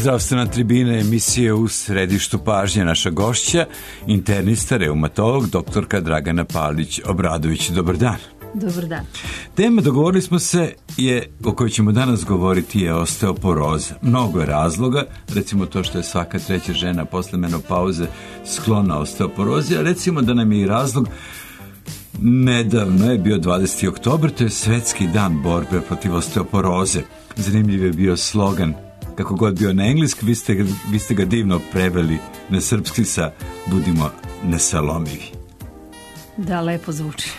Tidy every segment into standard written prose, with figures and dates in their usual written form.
Zdravstvena tribina emisije u središtu pažnje. Naša gošća, internista, reumatolog, doktorka Dragana Palić-Obradović. Dobar dan. Dobar dan. Tema, dogovorili smo se, o kojoj ćemo danas govoriti je osteoporoza. Mnogo je razloga, recimo to što je svaka treća žena posle menopauze sklona osteoporozi, a recimo da nam je i razlog nedavno je bio 20. oktobar, to je Svetski dan borbe protiv osteoporoze. Zanimljiv je bio slogan, kako god bio na engleski, vi ste ga divno preveli na srpski sa budimo nesalomivi. Da, lepo zvuči.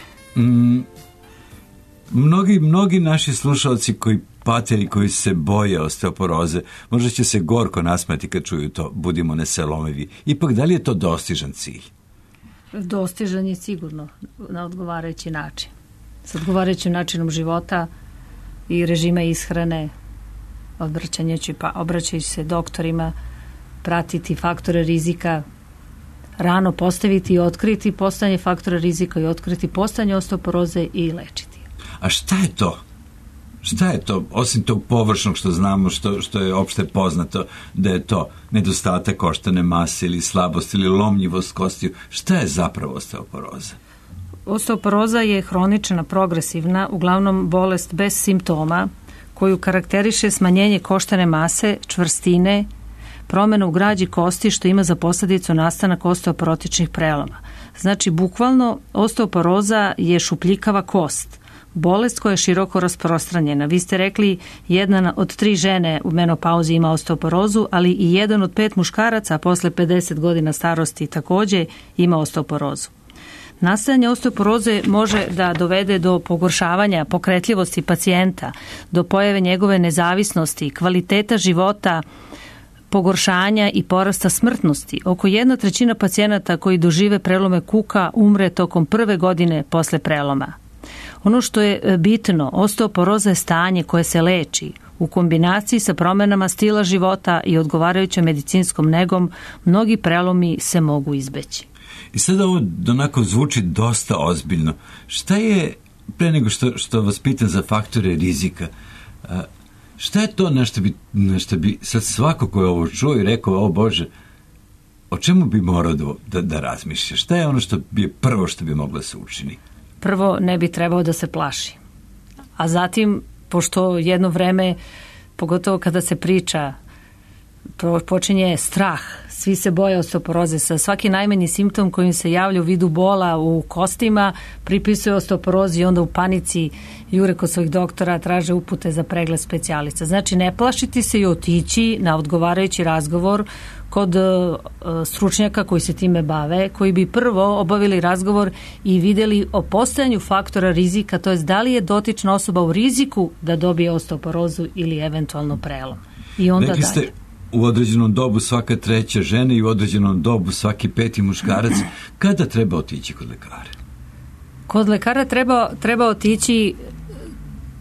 Mnogi naši slušalci koji pate i koji se boje osteoporoze, možda će se gorko nasmati kad čuju to, budimo nesalomivi. Ipak, da li je to dostižan cilj? Dostižan je sigurno na odgovarajući način. S odgovarajućim načinom života i režima ishrane, obraćajući se doktorima, pratiti faktore rizika, rano postaviti i otkriti postojanje faktora rizika i otkriti postojanje osteoporoze i lečiti. A šta je to? Šta je to, osim tog površnog što znamo, što je opšte poznato, da je to nedostatak koštane mase ili slabost ili lomljivost kostiju? Šta je zapravo osteoporoza? Osteoporoza je hronična, progresivna, uglavnom bolest bez simptoma, koju karakteriše smanjenje koštane mase, čvrstine, promjena u građi kosti što ima za posljedicu nastanak osteoporotičnih preloma. Znači, bukvalno, osteoporoza je šupljikava kost, bolest koja je široko rasprostranjena. Vi ste rekli, 1 od 3 žene u menopauzi ima osteoporozu, ali i 1 od 5 muškaraca posle 50 godina starosti također ima osteoporozu. Nastajanje osteoporoze može da dovede do pogoršavanja pokretljivosti pacijenta, do pojave njegove nezavisnosti, kvaliteta života, pogoršanja i porasta smrtnosti. Oko 1/3 pacijenata koji dožive prelome kuka umre tokom prve godine posle preloma. Ono što je bitno, osteoporoza je stanje koje se leči. U kombinaciji sa promjenama stila života i odgovarajućom medicinskom negom, mnogi prelomi se mogu izbeći. I sada ovo onako zvuči dosta ozbiljno. Šta je, pre nego što vas pitam za faktore rizika, šta je to na što bi sad svako ko je ovo čuo i rekao, o Bože, o čemu bi morao da razmišlja? Šta je ono što bi prvo što bi moglo se učini? Prvo, ne bi trebao da se plaši. A zatim, pošto jedno vreme, pogotovo kada se priča, počinje strah. Svi se boje osteoporoze. Sa svaki najmanji simptom kojim se javlja u vidu bola u kostima, pripisuje osteoporozi i onda u panici jure kod svojih doktora, traže upute za pregled specijalista. Znači, ne plašiti se i otići na odgovarajući razgovor kod stručnjaka koji se time bave, koji bi prvo obavili razgovor i vidjeli o postojanju faktora rizika, to je da li je dotična osoba u riziku da dobije osteoporozu ili eventualno prelom. I onda rekli ste, u određenom dobu svaka treća žena i u određenom dobu svaki 5. muškarac. Kada treba otići kod lekara? Kod lekara treba otići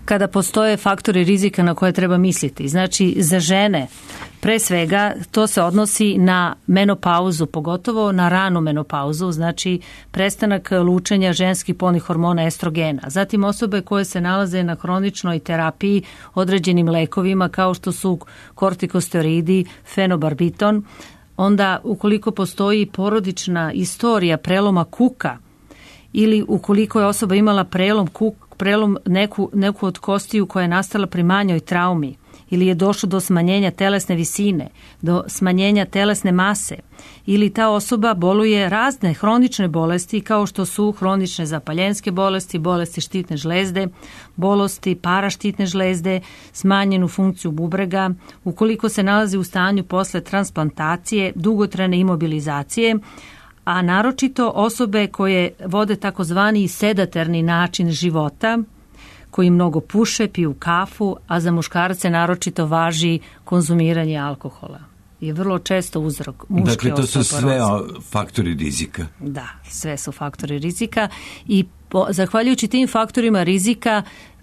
kada postoje faktori rizika na koje treba misliti. Znači, za žene, pre svega, to se odnosi na menopauzu, pogotovo na ranu menopauzu, znači prestanak lučenja ženskih polnih hormona estrogena. Zatim osobe koje se nalaze na hroničnoj terapiji određenim lekovima kao što su kortikosteroidi, fenobarbiton. Onda, ukoliko postoji porodična istorija preloma kuka ili ukoliko je osoba imala prelom neku od kostiju koja je nastala pri manjoj traumi ili je došlo do smanjenja telesne visine, do smanjenja telesne mase ili ta osoba boluje razne hronične bolesti kao što su hronične zapaljenske bolesti, bolesti štitne žlezde, bolesti paraštitne žlezde, smanjenu funkciju bubrega, ukoliko se nalazi u stanju posle transplantacije, dugotrajne imobilizacije, a naročito osobe koje vode takozvani sedatorni način života, koji mnogo puše, piju kafu, a za muškarce naročito važi konzumiranje alkohola. Je vrlo često uzrok muške osteoporoze. Dakle, to su sve faktori rizika. Da, sve su faktori rizika i zahvaljujući tim faktorima rizika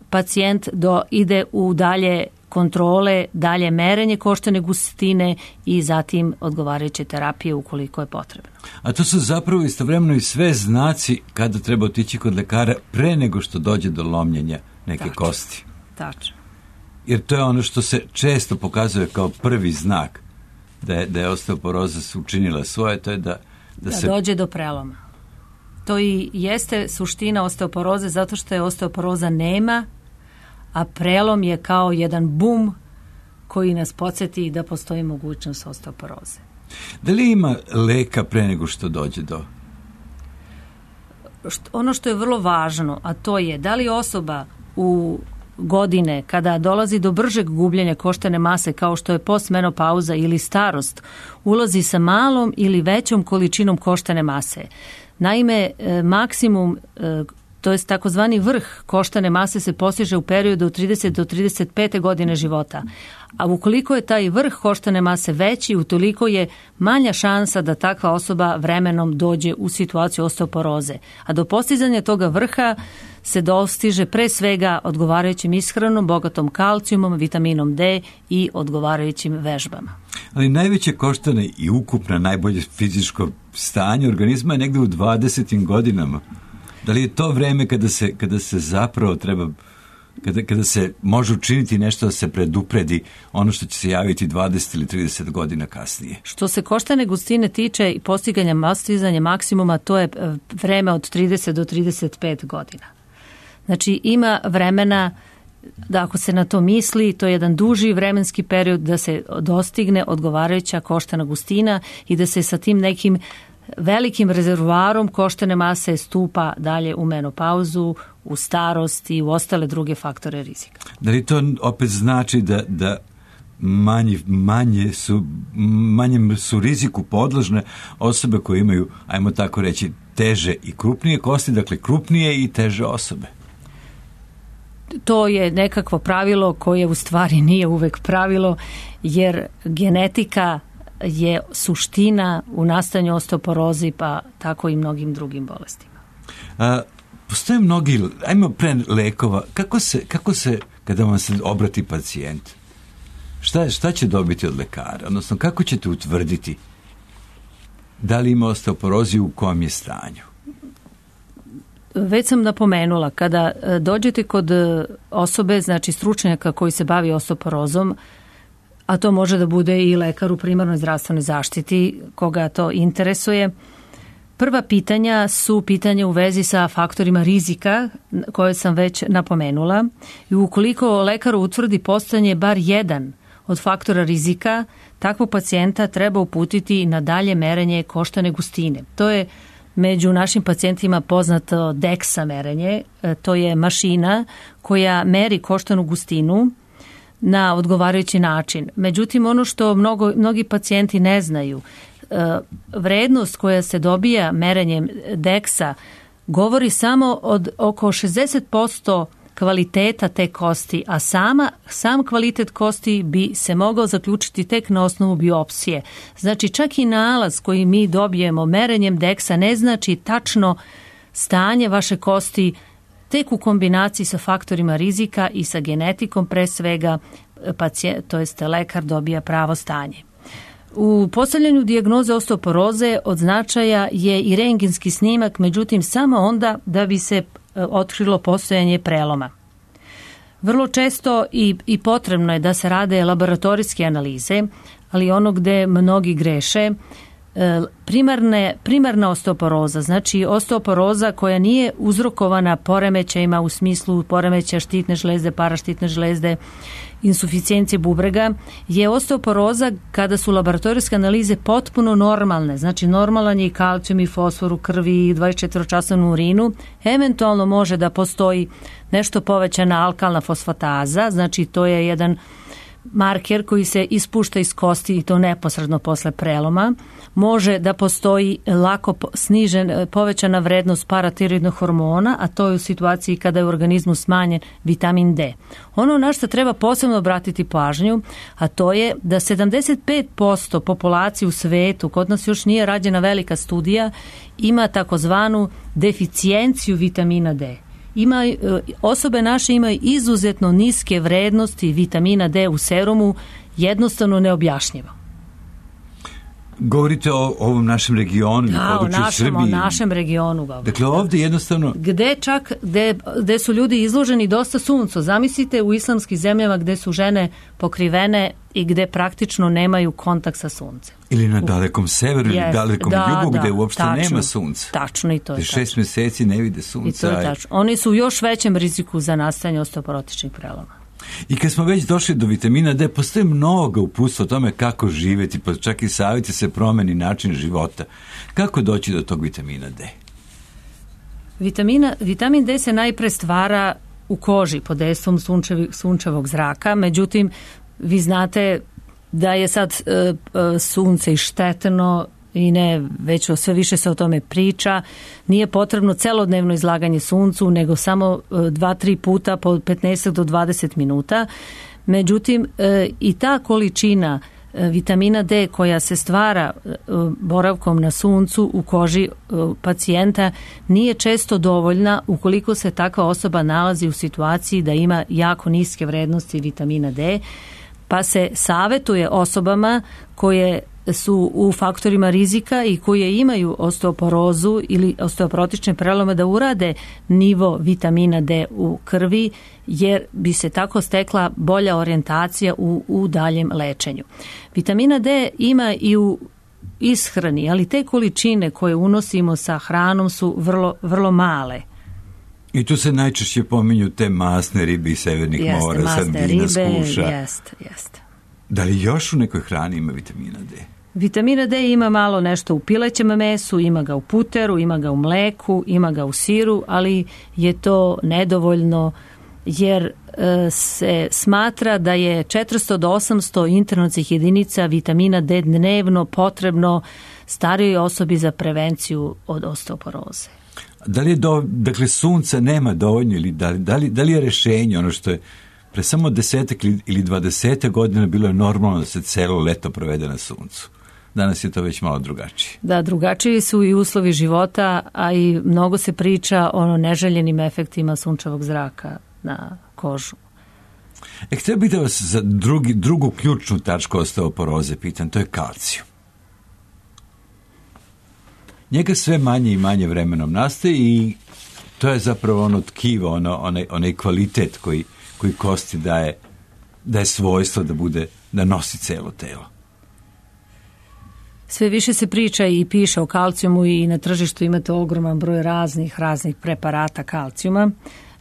pacijent ide u dalje kontrole, dalje merenje koštane gustine i zatim odgovarajuće terapije ukoliko je potrebno. A to su zapravo istovremeno i sve znaci kada treba otići kod lekara pre nego što dođe do lomljenja neke kosti. Tačno. Jer to je ono što se često pokazuje kao prvi znak da je osteoporoza učinila svoje, to je da se dođe do preloma. To i jeste suština osteoporoze, zato što je osteoporoza nema, a prelom je kao jedan bum koji nas podsjeti da postoji mogućnost osteoporoze. Da li ima leka pre nego što dođe do? Ono što je vrlo važno, a to je da li osoba u godine kada dolazi do bržeg gubljenja koštane mase kao što je postmenopauza ili starost, ulazi sa malom ili većom količinom koštane mase. Naime, maksimum, to je takozvani vrh koštane mase se postiže u periodu od 30 do 35. godine života. A ukoliko je taj vrh koštane mase veći, utoliko je manja šansa da takva osoba vremenom dođe u situaciju osteoporoze. A do postizanja toga vrha se dostiže pre svega odgovarajućim ishranom, bogatom kalcijumom, vitaminom D i odgovarajućim vežbama. Ali najveće koštane i ukupno najbolje fizičko stanje organizma je negde u 20. godinama. Da li je to vreme kada se zapravo treba, kada se može učiniti nešto da se predupredi ono što će se javiti 20 ili 30 godina kasnije? Što se koštane gustine tiče i postizanja maksimuma, to je vreme od 30 do 35 godina. Znači ima vremena da ako se na to misli, to je jedan duži vremenski period da se dostigne odgovarajuća koštana gustina i da se sa tim nekim velikim rezervoarom koštane mase stupa dalje u menopauzu, u starost i u ostale druge faktore rizika. Da li to opet znači da manjem su riziku podložne osobe koje imaju, ajmo tako reći, teže i krupnije kosti, dakle krupnije i teže osobe? To je nekakvo pravilo koje u stvari nije uvek pravilo, jer genetika je suština u nastanju osteoporozi, pa tako i mnogim drugim bolestima. Postoje mnogi, ajmo pre lekova, kako se kada vam se obrati pacijent, šta će dobiti od lekara? Odnosno, kako ćete utvrditi da li ima osteoporozi, u kom je stanju? Već sam napomenula, kada dođete kod osobe, znači stručnjaka koji se bavi osteoporozom, a to može da bude i lekar u primarnoj zdravstvenoj zaštiti, koga to interesuje. Prva pitanja su pitanja u vezi sa faktorima rizika koje sam već napomenula i ukoliko lekar utvrdi postojanje bar jedan od faktora rizika, takvog pacijenta treba uputiti na dalje merenje koštane gustine. To je među našim pacijentima poznato DEXA merenje, to je mašina koja meri koštanu gustinu na odgovarajući način. Međutim, ono što mnogi pacijenti ne znaju, vrednost koja se dobija merenjem DEXA govori samo od oko 60% kvaliteta te kosti, a sam kvalitet kosti bi se mogao zaključiti tek na osnovu biopsije. Znači, čak i nalaz koji mi dobijemo merenjem DEXA ne znači tačno stanje vaše kosti, tek u kombinaciji sa faktorima rizika i sa genetikom pre svega to jest lekar dobija pravo stanje. U postavljanju dijagnoze osteoporoze od značaja je i rentgenski snimak, međutim samo onda da bi se otkrilo postojanje preloma. Vrlo često i potrebno je da se rade laboratorijske analize, ali ono gde mnogi greše, primarna osteoporoza, znači osteoporoza koja nije uzrokovana poremećajima u smislu poremećaja štitne žlezde, paraštitne žlezde, insuficijencije bubrega, je osteoporoza kada su laboratorijske analize potpuno normalne, znači normalan je i kalcijum i fosfor u krvi i 24-časovnu urinu, eventualno može da postoji nešto povećana alkalna fosfataza, znači to je jedan marker koji se ispušta iz kosti i to neposredno posle preloma. Može da postoji lako povećana vrednost paratiroidnog hormona, a to je u situaciji kada je u organizmu smanjen vitamin D. Ono na što treba posebno obratiti pažnju, a to je da 75% populacije u svetu, kod nas još nije rađena velika studija, ima takozvanu deficijenciju vitamina D. Osobe naše imaju izuzetno niske vrednosti vitamina D u serumu, jednostavno neobjašnjivo. Govorite o ovom našem regionu, na području Srbije. O našem regionu. Dakle, ovdje jednostavno... Gde su ljudi izloženi dosta suncu. Zamislite u islamskim zemljama gde su žene pokrivene i gde praktično nemaju kontakt sa suncem. Ili na dalekom severu ili dalekom jugu gde uopšte nema sunca. Tačno, i to je tačno. 6 mjeseci ne vide sunca. I to je tačno. Oni su u još većem riziku za nastajanje osteoporotičnih preloma. I kad smo već došli do vitamina D, postoji mnogo uputstva o tome kako živjeti, pa čak i savjeti se promeni način života. Kako doći do tog vitamina D? Vitamin D se najpre stvara u koži pod dejstvom sunčevog zraka, međutim, vi znate da je sad sunce i štetno i ne, već sve više se o tome priča. Nije potrebno celodnevno izlaganje suncu, nego samo 2-3 puta po 15 do 20 minuta. Međutim, i ta količina vitamina D koja se stvara boravkom na suncu u koži pacijenta nije često dovoljna ukoliko se takva osoba nalazi u situaciji da ima jako niske vrednosti vitamina D, pa se savjetuje osobama koje su u faktorima rizika i koje imaju osteoporozu ili osteoporotične prelome da urade nivo vitamina D u krvi, jer bi se tako stekla bolja orijentacija u daljem lečenju. Vitamina D ima i u ishrani, ali te količine koje unosimo sa hranom su vrlo, vrlo male. I tu se najčešće pominju te masne ribe iz severnih mora, sardina, skuša. Jeste. Da li još u nekoj hrani ima vitamina D? Vitamina D ima malo nešto u pilećem mesu, ima ga u puteru, ima ga u mleku, ima ga u siru, ali je to nedovoljno jer se smatra da je 400 do 800 internatskih jedinica vitamina D dnevno potrebno starijoj osobi za prevenciju od osteoporoze. Da li je dakle sunca nema dovoljno ili da li je rješenje ono što je pre samo 10 ili 20 godina bilo je normalno da se celo leto provede na suncu? Danas je to već malo drugačije. Da, drugačiji su i uslovi života, a i mnogo se priča o neželjenim efektima sunčevog zraka na kožu. Htio bih da vas za drugu ključnu tačku osteoporoze pitam, to je kalcijum. Njega sve manje i manje vremenom nastaje i to je zapravo ono tkivo, onaj kvalitet koji kosti daje svojstvo da nosi celo telo. Sve više se priča i piše o kalcijumu i na tržištu imate ogroman broj raznih preparata kalcijuma.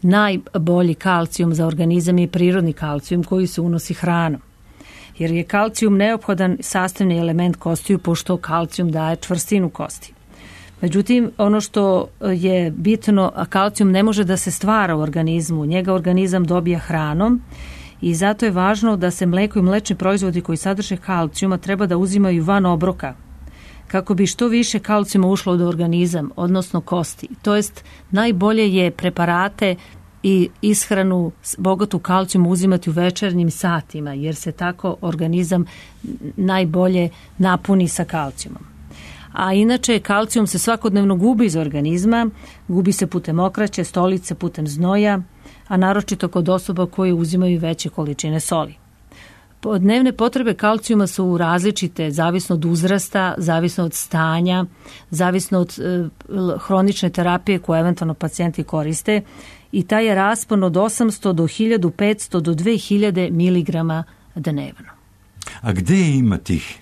Najbolji kalcijum za organizam je prirodni kalcijum koji se unosi hranom. Jer je kalcijum neophodan sastavni element kostiju pošto kalcijum daje čvrstinu kosti. Međutim, ono što je bitno, kalcijum ne može da se stvara u organizmu, njega organizam dobija hranom i zato je važno da se mleko i mlečni proizvodi koji sadrže kalcijuma treba da uzimaju van obroka, kako bi što više kalcijuma ušlo u organizam, odnosno kosti. To jest, najbolje je preparate i ishranu bogatu kalcijum uzimati u večernjim satima, jer se tako organizam najbolje napuni sa kalcijumom. A inače, kalcijum se svakodnevno gubi iz organizma, gubi se putem okraće, stolice, putem znoja, a naročito kod osoba koje uzimaju veće količine soli. Dnevne potrebe kalcijuma su različite, zavisno od uzrasta, zavisno od stanja, zavisno od hronične terapije koje eventualno pacijenti koriste i taj je raspon od 800 do 1500 do 2000 miligrama dnevno. A gde ima tih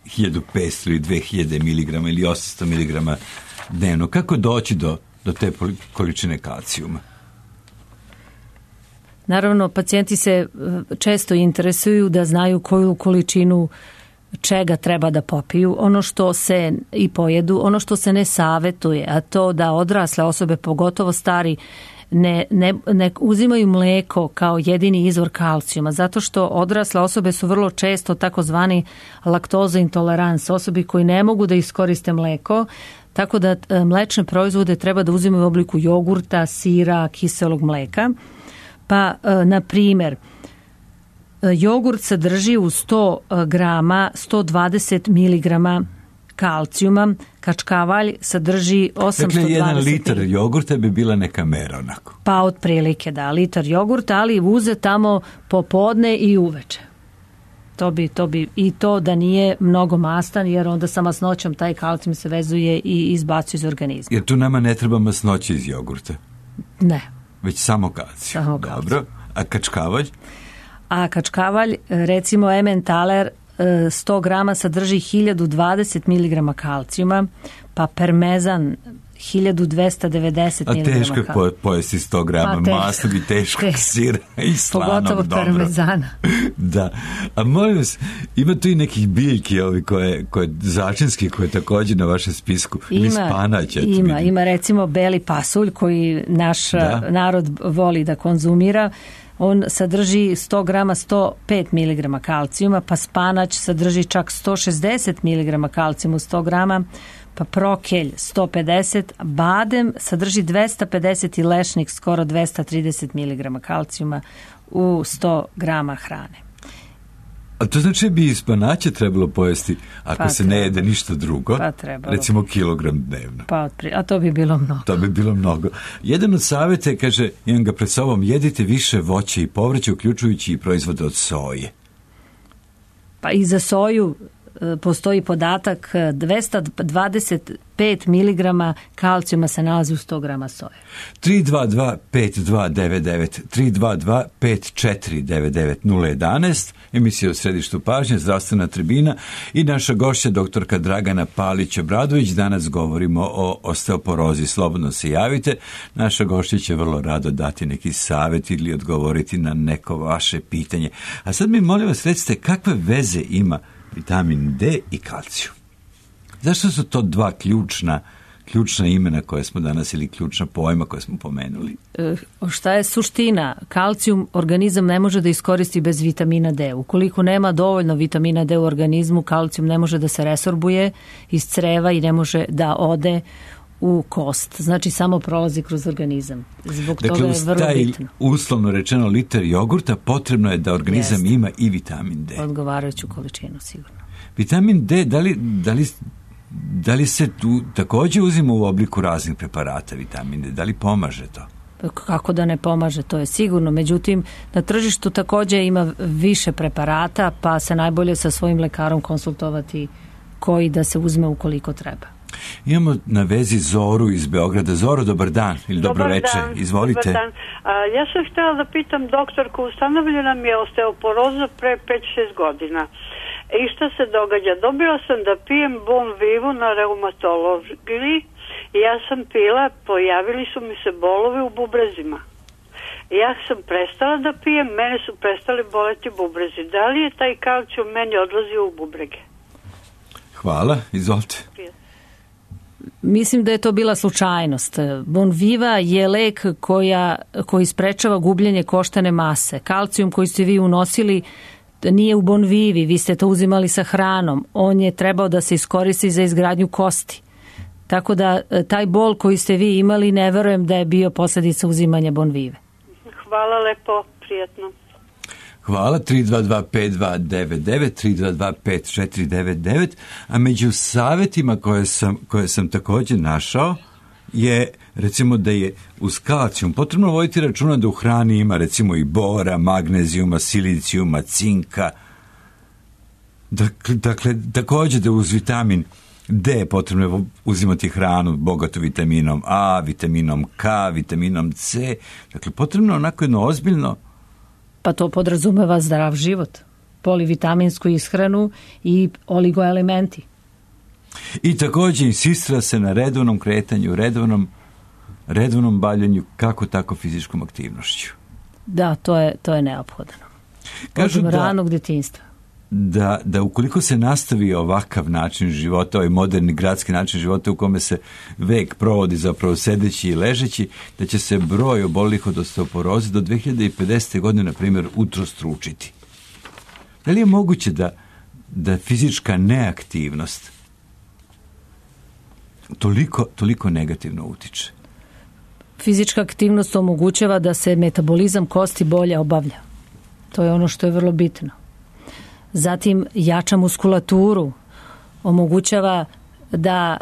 1500 ili 2000 miligrama ili 800 miligrama dnevno? Kako doći do te količine kalcijuma? Naravno, pacijenti se često interesuju da znaju koju količinu čega treba da popiju, ono što se i pojedu, ono što se ne savjetuje, a to da odrasle osobe, pogotovo stari, ne uzimaju mleko kao jedini izvor kalcijuma, zato što odrasle osobe su vrlo često takozvani laktoza intolerans, osobi koji ne mogu da iskoriste mleko, tako da mlečne proizvode treba da uzimaju u obliku jogurta, sira, kiselog mleka. Pa, na primjer, jogurt sadrži u 100 grama 120 miligrama kalcijuma, kačkavalj sadrži 820. Dakle, 1 litar jogurta bi bila neka mera onako. Pa otprilike, da, litar jogurta, ali uze tamo popodne i uveče. To bi i to da nije mnogo mastan, jer onda sa masnoćom taj kalcijum se vezuje i izbacuje iz organizma. Jer tu nama ne treba masnoće iz jogurta? Ne. Već samo kalcijum. Dobro. A kačkavalj? A kačkavalj, recimo Emmentaler, 100 grama sadrži 1020 mg kalcijuma, pa parmezan 1290 mg. A teško je pojesti 100 grama masnog i teškog sira i slanog. Pogotovo parmezana. Da. A molim vas, ima tu i nekih biljki koje začinski, koje također na vašem spisku. Ima recimo beli pasulj koji naš narod voli da konzumira. On sadrži 100 grama 105 mg kalcijuma, pa spanać sadrži čak 160 mg kalcijuma u 100 grama, pa prokelj 150, badem sadrži 250 i lešnik skoro 230 mg kalcijuma u 100 grama hrane. A to znači bi iz spanaća trebalo pojesti ako se ne jede ništa drugo, recimo kilogram dnevno. A to bi bilo mnogo. To bi bilo mnogo. Jedan od savjeta je, kaže, imam ga pred sobom, jedite više voća i povrća, uključujući i proizvode od soje. Pa i za soju postoji podatak 225 mg kalcijuma se nalazi u 100 grama soje. 322-5299, 322-5499-011, emisija u središtu pažnje, zdravstvena tribina i naša gošća doktorka Dragana Palić-Obradović. Danas govorimo o osteoporozi. Slobodno se javite. Naša gošća će vrlo rado dati neki savjet ili odgovoriti na neko vaše pitanje. A sad mi molim vas recite kakve veze ima vitamin D i kalcijum. Zašto su to dva ključna imena koje smo danas ili ključna pojma koje smo pomenuli? Šta je suština? Kalcijum organizam ne može da iskoristi bez vitamina D. Ukoliko nema dovoljno vitamina D u organizmu, kalcijum ne može da se resorbuje iz creva i ne može da ode u kost. Znači samo prolazi kroz organizam. Zbog toga je vrlo bitno. Uslovno rečeno liter jogurta potrebno je da organizam ima i vitamin D. Odgovarajuću količinu sigurno. Vitamin D, da li se tu također uzima u obliku raznih preparata vitamin D? Da li pomaže to? Kako da ne pomaže, to je sigurno. Međutim, na tržištu također ima više preparata, pa se najbolje sa svojim lekarom konsultovati koji da se uzme ukoliko treba. Imamo na vezi Zoru iz Beograda. Zoro, dobar dan ili dobro večer. Izvolite. Dobar dan. Ja sam htjela da pitam doktorku, ustanovljena mi je osteoporoza pre 5-6 godina. I šta se događa? Dobila sam da pijem Bon Vivu na reumatologiji i ja sam pila, pojavili su mi se bolovi u bubrezima. Ja sam prestala da pijem, mene su prestali boleti bubrezi. Da li je taj kalcijum meni odlazio u bubrege? Hvala, izvolite. Mislim da je to bila slučajnost. Bon Viva je lek koji sprečava gubljenje koštane mase. Kalcijum koji ste vi unosili nije u Bon Vivi, vi ste to uzimali sa hranom. On je trebao da se iskoristi za izgradnju kosti. Tako da taj bol koji ste vi imali, ne verujem da je bio posljedica uzimanja Bon Vive. Hvala lepo, prijetno. Hvala, 322-5299, 322-5499, a među savjetima koje sam također našao je, recimo, da je uz kalcijum potrebno voditi računa da u hrani ima, recimo, i bora, magnezijuma, silicijuma, cinka. Dakle, također da uz vitamin D potrebno je uzimati hranu bogatu vitaminom A, vitaminom K, vitaminom C. Dakle, potrebno onako jedno ozbiljno. Pa to podrazumeva zdrav život, polivitaminsku ishranu i oligoelementi. I također insistira se na redovnom kretanju, redovnom bavljanju, kako tako fizičkom aktivnošću. Da, to je neophodno. Kažu od ranog djetinjstva. Da ukoliko se nastavi ovakav način života, ovaj moderni gradski način života u kome se vek provodi zapravo sedeći i ležeći, da će se broj oboljelih od osteoporoze do 2050. godine, na primjer, utrostručiti. Da li je moguće da fizička neaktivnost toliko negativno utiče? Fizička aktivnost omogućava da se metabolizam kosti bolje obavlja. To je ono što je vrlo bitno. Zatim jača muskulaturu, omogućava da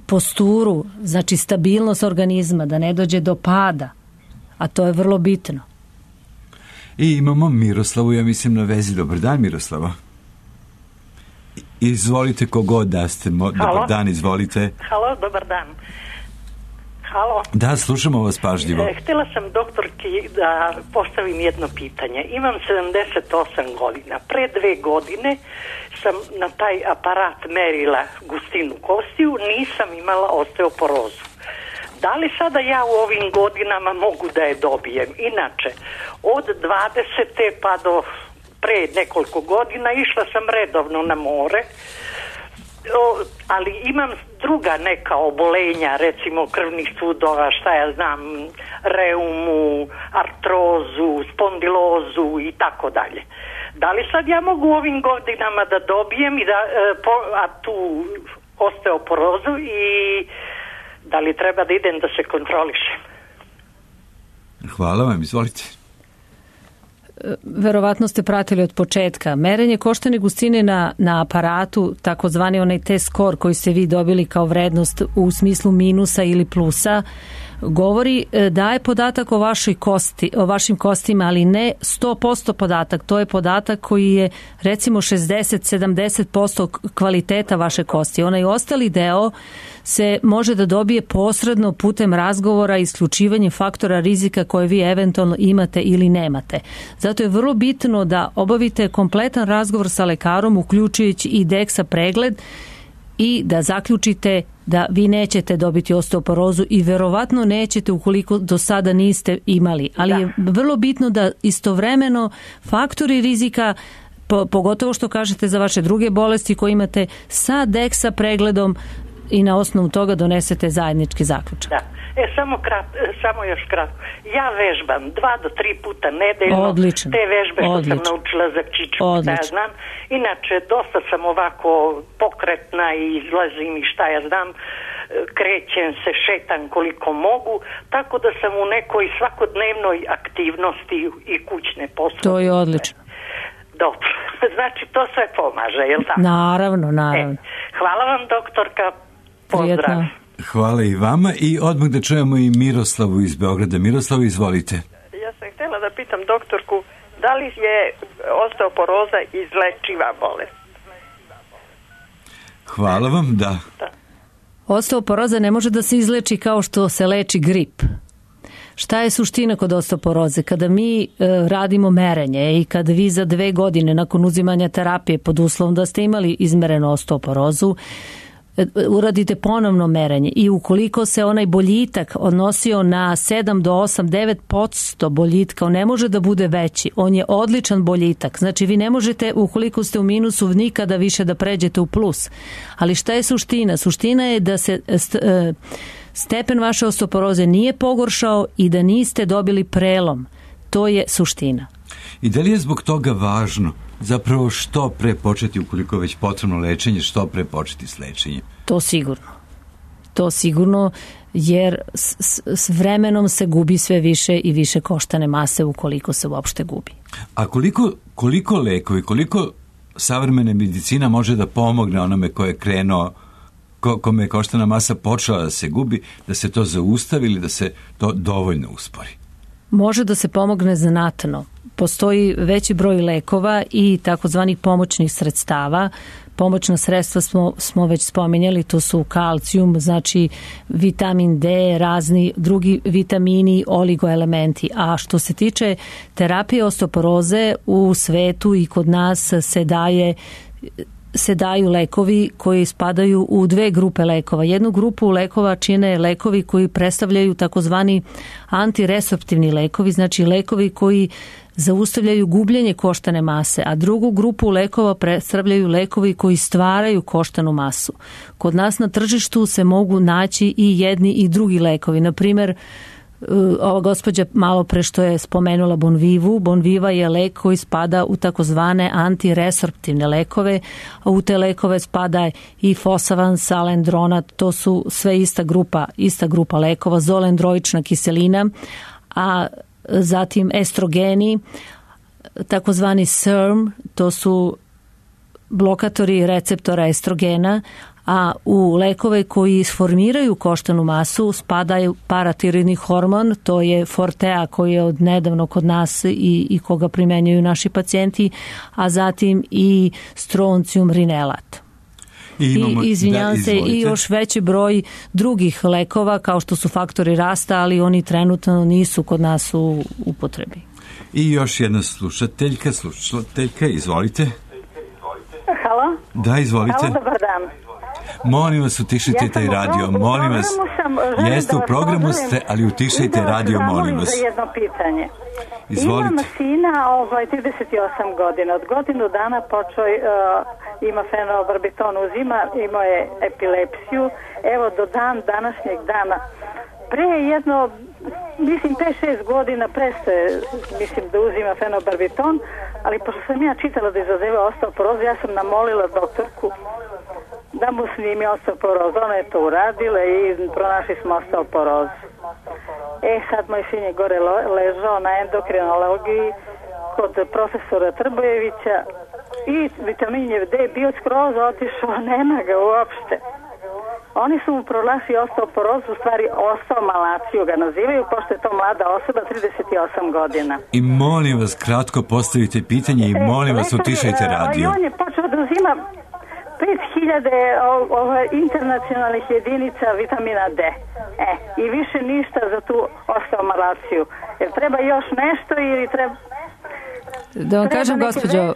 posturu, znači stabilnost organizma, da ne dođe do pada, a to je vrlo bitno. I imamo Miroslavu, ja mislim, na vezi. Dobar dan, Miroslava. Izvolite kogod da ste. Dobar dan, izvolite. Halo, dobar dan. Halo. Da, slušamo vas pažljivo. Htjela sam doktorki da postavim jedno pitanje. Imam 78 godina. Pre 2 godine sam na taj aparat merila gustinu kostiju, nisam imala osteoporozu. Da li sada ja u ovim godinama mogu da je dobijem? Inače, od 20. pa do pre nekoliko godina išla sam redovno na more, ali imam druga neka obolenja, recimo krvnih sudova, šta ja znam, reumu, artrozu, spondilozu i tako dalje. Da li sad ja mogu u ovim godinama da dobijem i tu osteoporozu i da li treba da idem da se kontrolišem? Hvala vam, izvolite. Verovatno ste pratili od početka. Merenje koštane gustine na aparatu, takozvani onaj test score koji ste vi dobili kao vrednost u smislu minusa ili plusa, govori, daje podatak o vašim kostima, ali ne 100% podatak. To je podatak koji je recimo 60-70% kvaliteta vaše kosti. Onaj ostali deo se može da dobije posredno putem razgovora i isključivanjem faktora rizika koje vi eventualno imate ili nemate. Zato je vrlo bitno da obavite kompletan razgovor sa lekarom, uključujući i DEXA pregled, i da zaključite da vi nećete dobiti osteoporozu i verovatno nećete ukoliko do sada niste imali. Ali je vrlo bitno da istovremeno faktori rizika, pogotovo što kažete za vaše druge bolesti koje imate, sa DEXA pregledom i na osnovu toga donesete zajednički zaključak. Da. Samo još kratko. Ja vežbam 2 do 3 puta nedeljno. Odlično. Te vežbe što sam naučila za kičmu, šta ja znam. Inače, dosta sam ovako pokretna i izlazim i šta ja znam. Krećem se, šetam koliko mogu, tako da sam u nekoj svakodnevnoj aktivnosti i kućne poslove. To je odlično. Dobro. Znači, to sve pomaže, je li tako? Naravno. Hvala vam, doktorka. Pozdrav. Prijetno. Hvala i vama i odmah da čujemo i Miroslavu iz Beograda. Miroslavu, izvolite. Ja sam htjela da pitam doktorku, da li je osteoporoza izlečiva bolest? Hvala vam, da. Osteoporoza ne može da se izleči kao što se leči grip. Šta je suština kod osteoporoze? Kada mi radimo merenje i kada vi za 2 godine nakon uzimanja terapije pod uslovom da ste imali izmerenu osteoporozu, uradite ponovno merenje i ukoliko se onaj boljitak odnosio na 7 do 8, 9% boljitka, on ne može da bude veći. On je odličan boljitak. Znači vi ne možete, ukoliko ste u minusu, nikada više da pređete u plus. Ali šta je suština? Suština je da se stepen vaše osteoporoze nije pogoršao i da niste dobili prelom. To je suština. I da li je zbog toga važno zapravo što pre početi, ukoliko je već potrebno lečenje, što pre početi s lečenjem? To sigurno, jer s vremenom se gubi sve više i više koštane mase ukoliko se uopšte gubi. A koliko lekovi, koliko savremena medicina može da pomogne onome ko je krenuo, kome je koštana masa počela da se gubi, da se to zaustavi ili da se to dovoljno uspori? Može da se pomogne znatno. Postoji veći broj lekova i takozvanih pomoćnih sredstava. Pomoćna sredstva smo već spominjali, to su kalcijum, znači vitamin D, razni drugi vitamini, oligoelementi. A što se tiče terapije osteoporoze, u svetu i kod nas se daju lekovi koji spadaju u 2 grupe lekova. Jednu grupu lekova čine lekovi koji predstavljaju takozvani antiresorptivni lekovi, znači lekovi koji zaustavljaju gubljenje koštane mase, a drugu grupu lekova predstavljaju lekovi koji stvaraju koštanu masu. Kod nas na tržištu se mogu naći i jedni i drugi lekovi. Na primjer, ova gospođa malo pre što je spomenula Bonvivu. Bonviva je lek koji spada u takozvane antiresorptivne lekove, a u te lekove spada i Fosavan, Salendronat, to su sve ista grupa lekova, zolendroična kiselina, a zatim estrogeni, takozvani SERM, to su blokatori receptora estrogena, a u lekove koji sformiraju koštanu masu spadaju paratiroidni hormon, to je Fortea koji je od nedavno kod nas i koga primenjuju naši pacijenti, a zatim i stroncijum rinelat. Izvinjavam se, i još veći broj drugih lekova kao što su faktori rasta, ali oni trenutno nisu kod nas u upotrebi. I još jedna slušateljka, izvolite. Halo? Da, izvolite. Halo, dobar dan. Molim vas, utišajte taj radio, molim vas. Jeste u programu ste, ali utišajte radio, molim vas. Za jedno pitanje. Izvolite. Imam sina 38 godina. Od godinu dana počeo ima fenobarbiton uzima, imao je epilepsiju. Evo do današnjeg dana. Pre jedno, mislim 5-6 godina prestaje, mislim da uzima fenobarbiton, ali pošto sam ja čitala da izazeva osteoporozu, ja sam namolila doktorku da mu snimi osteoporozu. Ona je to uradila i pronašli smo osteoporozu. Sad moj sin je gore ležao na endokrinologiji kod profesora Trbojevića i vitamin D je bio skroz otišao, nema ga uopšte. Oni su mu pronašli osteoporozu, u stvari osteomalaciju ga nazivaju, pošto je to mlada osoba, 38 godina. I molim vas, kratko postavite pitanje i molim vas, utišajte radio. I on je počeo da uzima 5000 internacionalnih jedinica vitamina D. I više ništa za tu osteomalaciju. Jer treba još nešto ili treba... Da vam kažem, gospođo,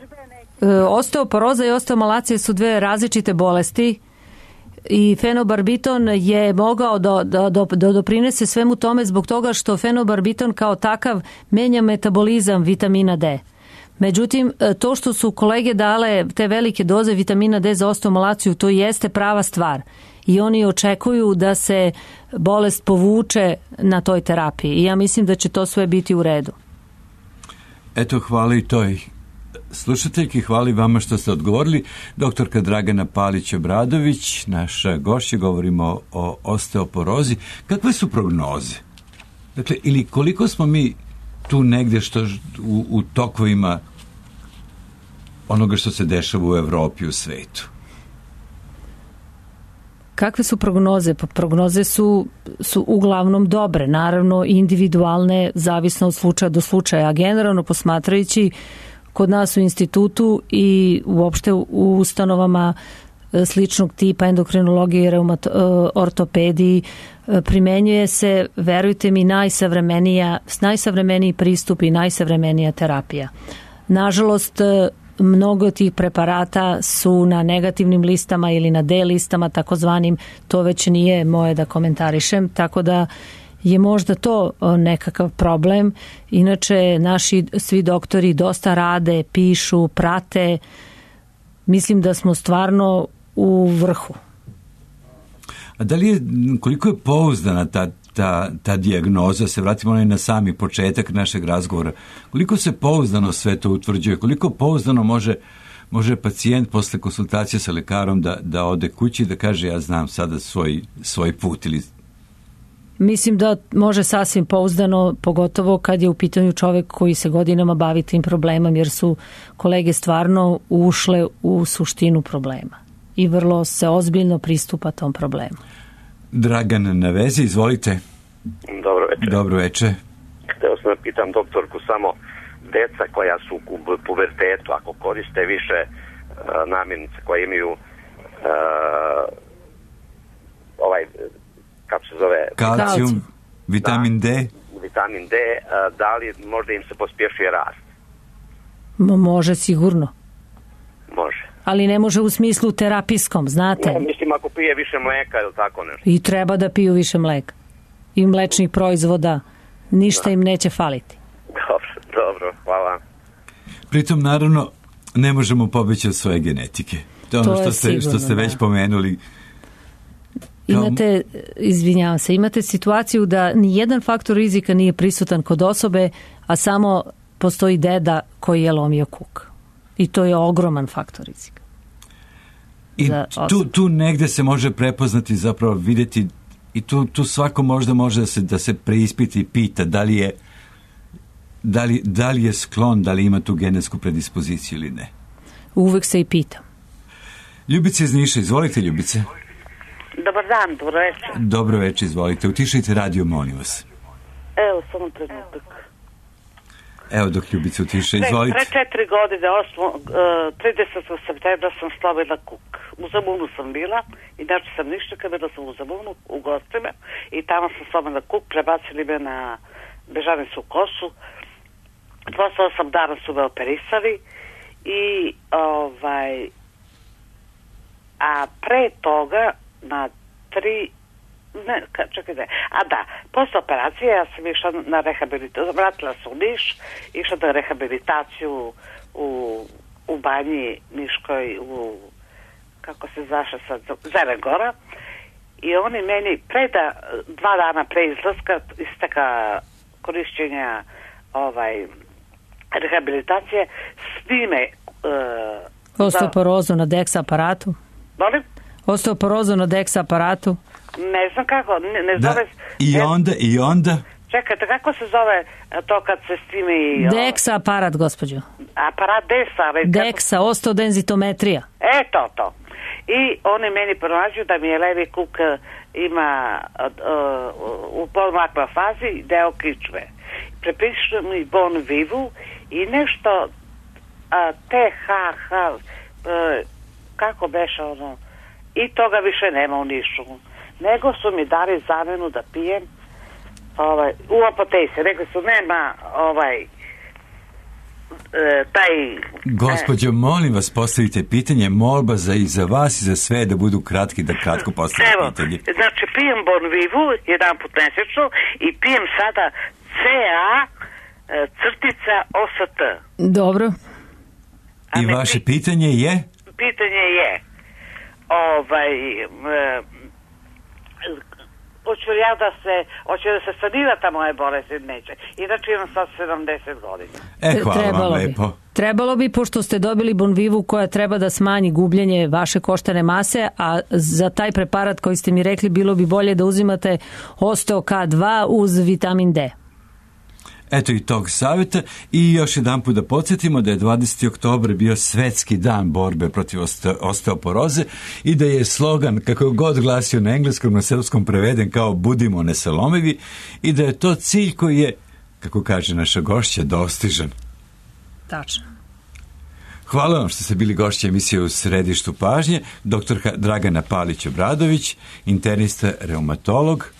osteoporoza i osteomalacija su dve različite bolesti i fenobarbiton je mogao da doprinese svemu tome zbog toga što fenobarbiton kao takav menja metabolizam vitamina D. Međutim, to što su kolege dale te velike doze vitamina D za osteomalaciju, to jeste prava stvar. I oni očekuju da se bolest povuče na toj terapiji. I ja mislim da će to sve biti u redu. Eto, hvala i toj slušateljki, hvala i vama što ste odgovorili. Doktorka Dragana Palić-Obradović, naša gošća, govorimo o osteoporozi. Kakve su prognoze? Dakle, ili koliko smo mi tu negde u tokovima onoga što se dešava u Evropi, u svetu? Kakve su prognoze? Pa prognoze su uglavnom dobre, naravno individualne, zavisno od slučaja do slučaja, a generalno posmatrajući kod nas u institutu i uopšte u ustanovama sličnog tipa endokrinologije i ortopediji primenjuje se, verujte mi, najsavremeniji pristup i najsavremenija terapija. Nažalost, mnogo tih preparata su na negativnim listama ili na D listama, takozvanim, to već nije moje da komentarišem, tako da je možda to nekakav problem. Inače, naši svi doktori dosta rade, pišu, prate. Mislim da smo stvarno u vrhu. A da li je, koliko je pouzdana ta dijagnoza, se vratimo na sami početak našeg razgovora, koliko se pouzdano sve to utvrđuje, koliko pouzdano može pacijent posle konsultacije sa lekarom da ode kući i da kaže ja znam sada svoj put ili... Mislim da može sasvim pouzdano, pogotovo kad je u pitanju čovjek koji se godinama bavi tim problemom, jer su kolege stvarno ušle u suštinu problema i vrlo se ozbiljno pristupa tom problemu. Dragan na vezi, izvolite. Dobro večer. Dobro večer. Hteo sam da pitam doktorku samo, deca koja su u pubertetu, ako koriste više namirnice koje imaju kako se zove? Kalcijum, vitamin D. Vitamin D, da li možda im se pospješuje rast? Može sigurno. Može. Ali ne može u smislu terapijskom, znate? Ne, mislim ako pije više mleka ili tako nešto. I treba da piju više mleka. I mlečnih proizvoda. Ništa im neće faliti. Dobro, hvala. Pritom, naravno, ne možemo pobeći od svoje genetike. To je ono što ste već pomenuli. Imate situaciju da nijedan faktor rizika nije prisutan kod osobe, a samo postoji deda koji je lomio kuk. I to je ogroman faktor rizika. I tu negde se može prepoznati, zapravo vidjeti, i tu svako možda može da se preispiti i pita da li je sklon, da li ima tu genetsku predispoziciju ili ne. Uvek se i pitam. Ljubice iz Niša, izvolite Ljubice. Dobar dan, dobro večer. Dobro večer, izvolite. Utišajte radio, molim vas. Evo, samo trenutak. Evo dok Ljubica utiša, izvolite. Pre 4 godine, 30. septembra sam slavila kuk. U Zamunu sam bila, inače sam ništa, bila sam u Zamunu, u gostima, i tamo sam slavila kuk, prebacili me na Bežanicu Kosu. Posle 8 dana su me operisali i a pre toga na 3 posle operacije ja sam išla na rehabilitaciju, vratila se u Niš, išla na rehabilitaciju u banji Niškoj, kako se zaša sad, Zerengora, i oni meni 2 dana pre izlaska, isteka korišćenja rehabilitacije, snime osteoporozu na DEX aparatu. Molim? Osteoporozu na DEX aparatu. Ne znam kako, ne zove... I onda? Čekajte, kako se zove to kad se snimi... DEX aparat, gospođo. Aparat DEX-a. DEX-a, osteodenzitometrija. To. I oni meni pronađu da mi je levi kuk ima u polmakva fazi deo kičme. Prepišu mi bon vivu i nešto THH, kako beše ono, i toga više nema u Nišu. Nego su mi dali zamenu da pijem u apoteci. Rekli su, nema taj... Gospođo, molim vas, postavite pitanje, molba i za vas i za sve da budu kratki, da kratko postavite pitanje. Znači, pijem bon vivu jedan put mesečno i pijem sada CA_OST. Dobro. I vaše pitanje je? Pitanje je hoće da se sanira ta moja bolest ili neće. Inače imam sad 70 godina. Hvala vam lepo. Trebalo bi, pošto ste dobili Bonvivu koja treba da smanji gubljenje vaše koštane mase, a za taj preparat koji ste mi rekli bilo bi bolje da uzimate Osteo K2 uz vitamin D. Eto i tog savjeta, i još jedan put da podsjetimo da je 20. oktobar bio svetski dan borbe protiv osteoporoze i da je slogan, kako god glasio na engleskom, na srpskom preveden kao budimo nesalomivi, i da je to cilj koji je, kako kaže naša gošća, dostižan. Tačno. Hvala vam što ste bili gošća emisije U središtu pažnje, doktorka Dragana Palić-Obradović, internista, reumatolog,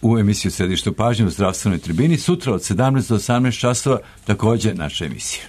u emisiju Središtu pažnje u zdravstvenoj tribini. Sutra od 17 do 18 časova također naša emisija.